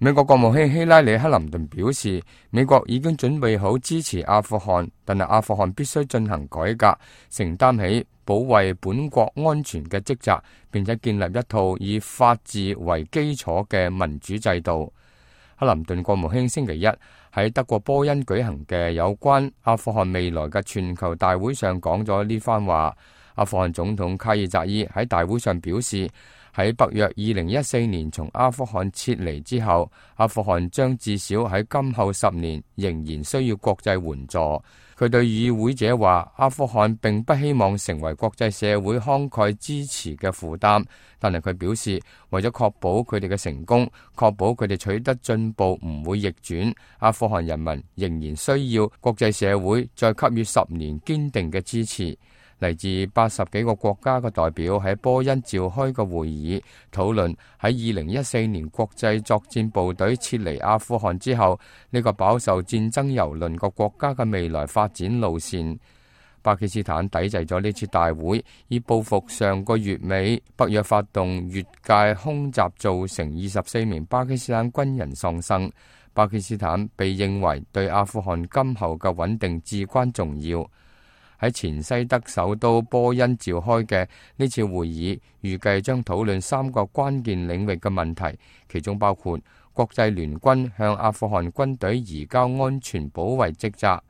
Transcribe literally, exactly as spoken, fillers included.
美國國務卿希拉里·克林頓表示，美國已經準備好支持阿富汗，但係阿富汗必須進行改革，承擔起保衛本國安全嘅職責，並且建立一套以法治為基礎嘅民主制度。克林頓國務卿星期一喺德國波恩舉行嘅有關阿富汗未來嘅全球大會上講咗呢番話。阿富汗總統卡爾扎伊喺大會上表示，喺北約二零一四年從阿富汗撤離之後，阿富汗將至少喺今後十年仍然需要國際援助。佢對與會者話，阿富汗並不希望成為國際社會慷慨支持嘅負擔，但係佢表示，為咗確保佢哋嘅成功，確保佢哋取得進步唔會逆轉，阿富汗人民仍然需要國際社會再給予十年堅定嘅支持。嚟自八十幾個國家嘅代表喺波恩召開嘅會議，討論喺二零一四年國際作戰部隊撤離阿富汗之後，呢個飽受戰爭蹂躪嘅國家嘅未來發展路線。巴基斯坦抵制咗呢次大會，以報復上個月尾北約發動越界空襲造成二十四名巴基斯坦軍人喪生。巴基斯坦被認為對阿富汗今後嘅穩定至關重要。喺前西德首都波恩召開嘅呢次會議，預計將討論三個關鍵領域嘅問題，其中包括國際聯軍向阿富汗軍隊移交安全保衛職責，